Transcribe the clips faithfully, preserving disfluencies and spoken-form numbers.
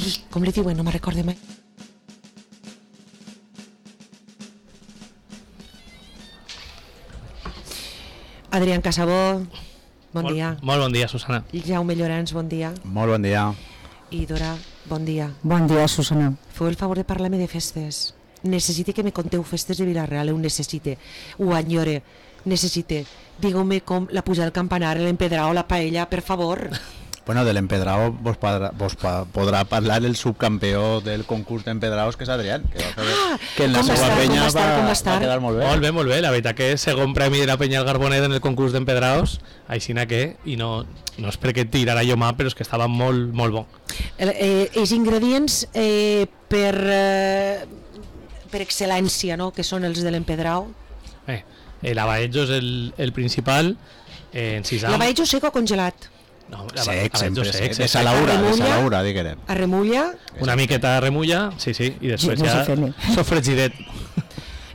Ai, com li diuen? No me'n recordo mai. Adrián Casabó, bon molt, dia. Molt bon dia, Susana. Jaume Llorens, bon dia. Molt bon dia. I Dora, bon dia. Bon dia, Susana. Feu el favor de parlar-me de festes. Necessite que me conteu festes de Vilareal, ho necessite. Ho enyore, necessite. Digueu-me com la puja del campanar, l'empedrao, la paella, per favor. Bueno, de l'empedrao vos, podrà, vos podrà parlar el subcampió del concurs d'empedraos, que és Adrián, que, va fer, ah, que en la seva penya va, va quedar molt bé. Molt bé, molt bé. La veritat que segon premi de la penya del Garbonet en el concurs d'empedraos, aixina que, i no, no és perquè tirarà jo mà, però és que estava molt, molt bo. El, eh, els ingredients eh, per, eh, per excel·lència, no?, que són els de l'empedrao. Eh, el abaetjo és el, el principal, eh, en sisam. L'abaetjo seco congelat. No, sec, sempre sec, sec, de salaura, de salaura, diguem. A remulla. Una miqueta de remulla, sí, sí, i després no ja sofregidet.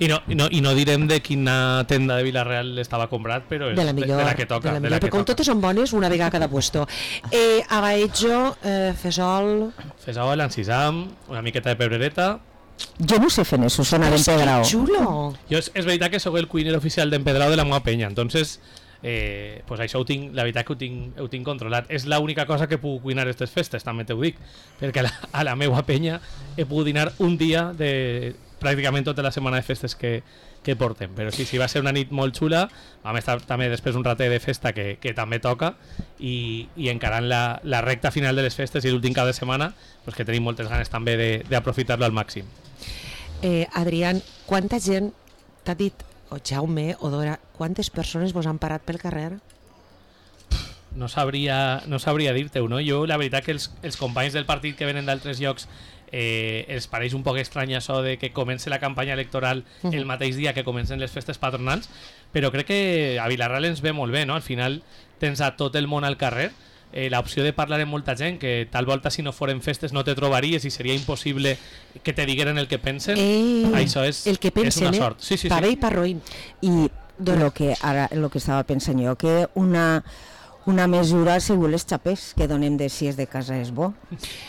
I no, i, no, I no direm de quina tenda de Vilareal estava comprat, però és de la, millor, de, de la que toca. De la de la millor, que com totes són bones, una vegada a cada puesto. Eh, abaetjo, eh, fesol... Fesol, encisam, una miqueta de pebrereta... Jo no sé fer eso, sona d'empedrao. Que xulo! Jo és, és veritat que sóc el cuiner oficial d'empedrao de la meva penya, entonces... Eh, pues això ho tinc, la veritat que ho tinc, ho tinc controlat. És l'única cosa que puc cuinar aquestes festes, també t'ho dic, perquè a la, a la meva penya he pogut dinar un dia de pràcticament tota la setmana de festes que, que portem, però sí, sí, va ser una nit molt xula. Vam estar també després un ratet de festa que, que també toca, i, i encarant la, la recta final de les festes i l'últim cap de setmana, pues que tenim moltes ganes també d'aprofitar-lo al màxim. eh, Adrián, quanta gent t'ha dit, o Jaume, o Dora, quantes persones vos han parat pel carrer? No sabria, no sabria dir-te-ho, no? Jo, la veritat que els, els companys del partit que venen d'altres llocs eh, els pareix un poc estrany això de que comenci la campanya electoral uh -huh. el mateix dia que comencen les festes patronals, però crec que a Vilareal ens ve molt bé, no? Al final tens a tot el món al carrer, eh, l'opció de parlar amb molta gent, que tal volta si no foren festes no te trobaries i seria impossible que te digueren el que pensen. Eh, això és, el que pensen, és una sort. Sí, sí, pa sí. bé i pa roïn. I lo que ara lo que estava pensant jo, que una una mesura segur les xapes que donem de si és de casa és bo.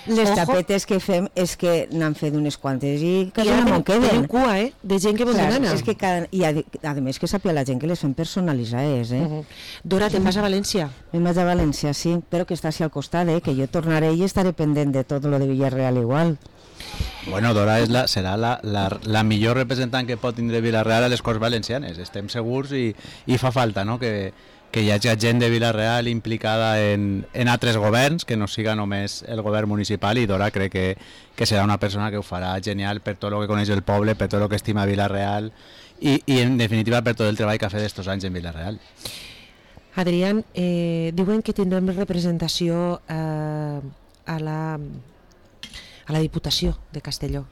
Les Ojo. xapetes que fem és que n'han fet unes quantes i I quasi ara no me'n tenim queden. cua, eh? De gent que vol Clar, demanar. és que cada, i a, a més que sàpiga la gent que les fem personalitzades, eh? Uh -huh. Dora, te'n vas a València? Me'n vaig a València, sí, però que està així al costat, eh? Que jo tornaré i estaré pendent de tot lo de Villarreal igual. Bueno, Dora és la, serà la, la, la millor representant que pot tindre Vilareal a les Corts Valencianes, estem segurs, i, i fa falta, no?, que, que hi hagi gent de Vilareal implicada en, en altres governs, que no siga només el govern municipal, i Dora crec que, que serà una persona que ho farà genial per tot el que coneix el poble, per tot el que estima Vilareal, i, i en definitiva per tot el treball que ha fet estos anys en Vilareal. Adrián, eh, diuen que tindrem representació eh, a la a la Diputació de Castelló.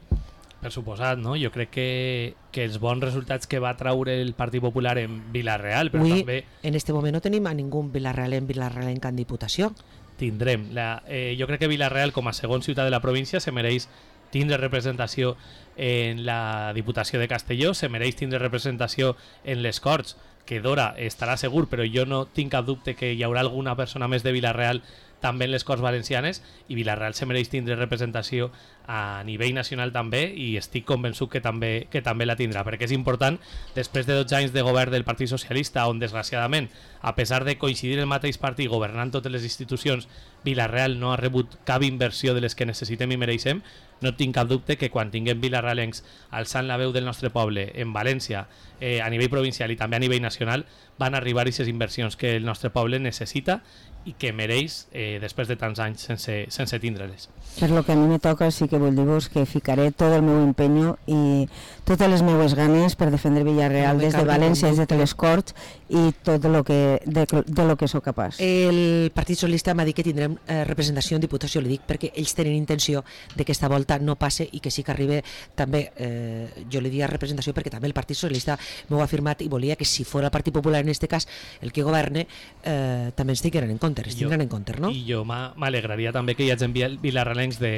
Per suposat, no? Jo crec que, que els bons resultats que va traure el Partit Popular en Vilareal, però Avui, també en este moment no tenim a ningú Vilareal en Vilareal en Diputació. tindrem. La, eh, jo crec que Vilareal, com a segon ciutat de la província, se mereix tindre representació en la Diputació de Castelló, se mereix tindre representació en les Corts, que Dora estarà segur, però jo no tinc cap dubte que hi haurà alguna persona més de Vilareal també en les Corts Valencianes, i Vilareal se mereix tindre representació a nivell nacional també, i estic convençut que també, que també la tindrà, perquè és important, després de dotze anys de govern del Partit Socialista, on desgraciadament, a pesar de coincidir el mateix partit governant totes les institucions, Vilareal no ha rebut cap inversió de les que necessitem i mereixem, no tinc cap dubte que quan tinguem vilarealencs alçant la veu del nostre poble en València, eh, a nivell provincial i també a nivell nacional, van arribar aquestes inversions que el nostre poble necessita i que mereix eh, després de tants anys sense, sense tindre-les. Per lo que a mi me toca, sí que vull dir-vos que ficaré tot el meu empenyo i totes les meues ganes per defendre Villarreal des de València, des de les Corts, i tot lo que, de, de lo que sóc capaç. El Partit Socialista m'ha dit que tindrem eh, representació en Diputació, li dic perquè ells tenen intenció de que esta volta no passe i que sí que arribi també, eh, jo li diria representació perquè també el Partit Socialista m'ho ha afirmat i volia que si fos el Partit Popular en este cas el que governe, eh, també ens tingueren en compte, ens tindran en compte, no? I jo m'alegraria també que hi hagi vilarealencs de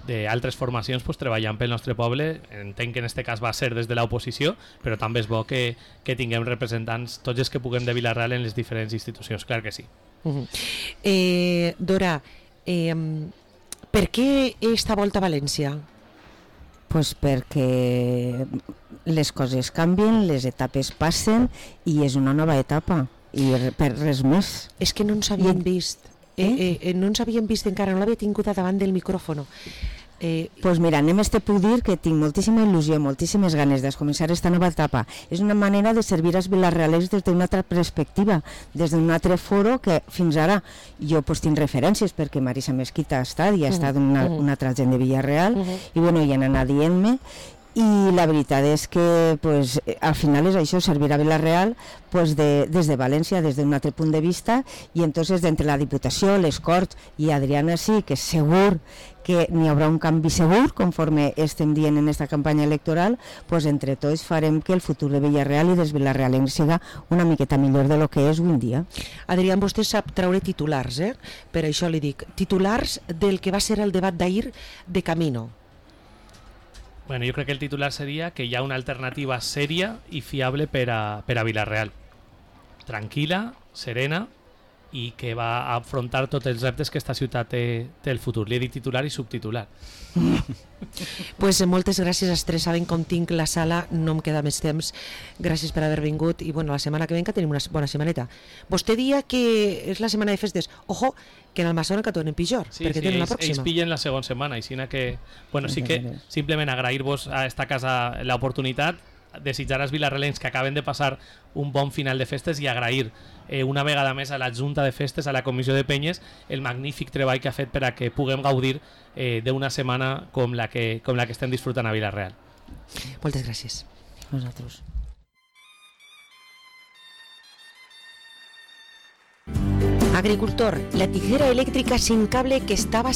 d'altres formacions pues, treballant pel nostre poble. Entenc que en aquest cas va ser des de l'oposició, però també és bo que, que tinguem representants tots els que puguem de Vilareal en les diferents institucions, clar que sí. Uh -huh. eh, Dora, eh, Per què esta volta a València? Pues perquè les coses canvien, les etapes passen i és una nova etapa i per res més. És que no ens havíem vist, eh? Eh, eh, no ens havíem vist encara, no l'havia tingut davant del micròfon. Eh, pues mira, només te puc dir que tinc moltíssima il·lusió, moltíssimes ganes de començar esta nova etapa. És una manera de servir als vilarrealers des d'una altra perspectiva, des d'un altre foro que fins ara jo pues, tinc referències perquè Marisa Mesquita ha estat i ha estat una, una altra gent de Villarreal uh -huh. i bueno, hi han anat dient-me i la veritat és que pues, al final és això, servir a Villarreal pues, de, des de València, des d'un altre punt de vista i entonces d'entre la Diputació, les Corts i Adriana sí, que segur que n'hi haurà un canvi segur conforme estem dient en aquesta campanya electoral, pues, entre tots farem que el futur de Villarreal i dels vilarrealencs siga una miqueta millor de lo que és avui en dia. Adrián, vostè sap treure titulars, eh? Per això li dic, titulars del que va ser el debat d'ahir de Camino. Bueno, jo crec que el titular seria que hi ha una alternativa sèria i fiable per a, per a Villarreal. Tranquil·la, serena i que va a afrontar tots els reptes que esta ciutat té, té el futur. Li he dit titular i subtitular. Pues moltes gràcies als tres, saben com tinc la sala, no em queda més temps. Gràcies per haver vingut i bueno, la setmana que venga tenim una bona setmaneta. Vostè dia que és la setmana de festes. Ojo, que en Almassora que tornen pitjor, sí, perquè sí, tenen la ells, pròxima. ells pillen la segona setmana, i sina que, bueno, sí que simplement agrair-vos a esta casa l'oportunitat, desitjar als vilarrealencs que acaben de passar un bon final de festes i agrair eh, una vegada més a la Junta de Festes, a la Comissió de Penyes, el magnífic treball que ha fet per a que puguem gaudir eh, d'una setmana com la, que, com la que estem disfrutant a Villarreal. Moltes gràcies. Nosaltres. Agricultor, la tijera eléctrica sin cable que estaba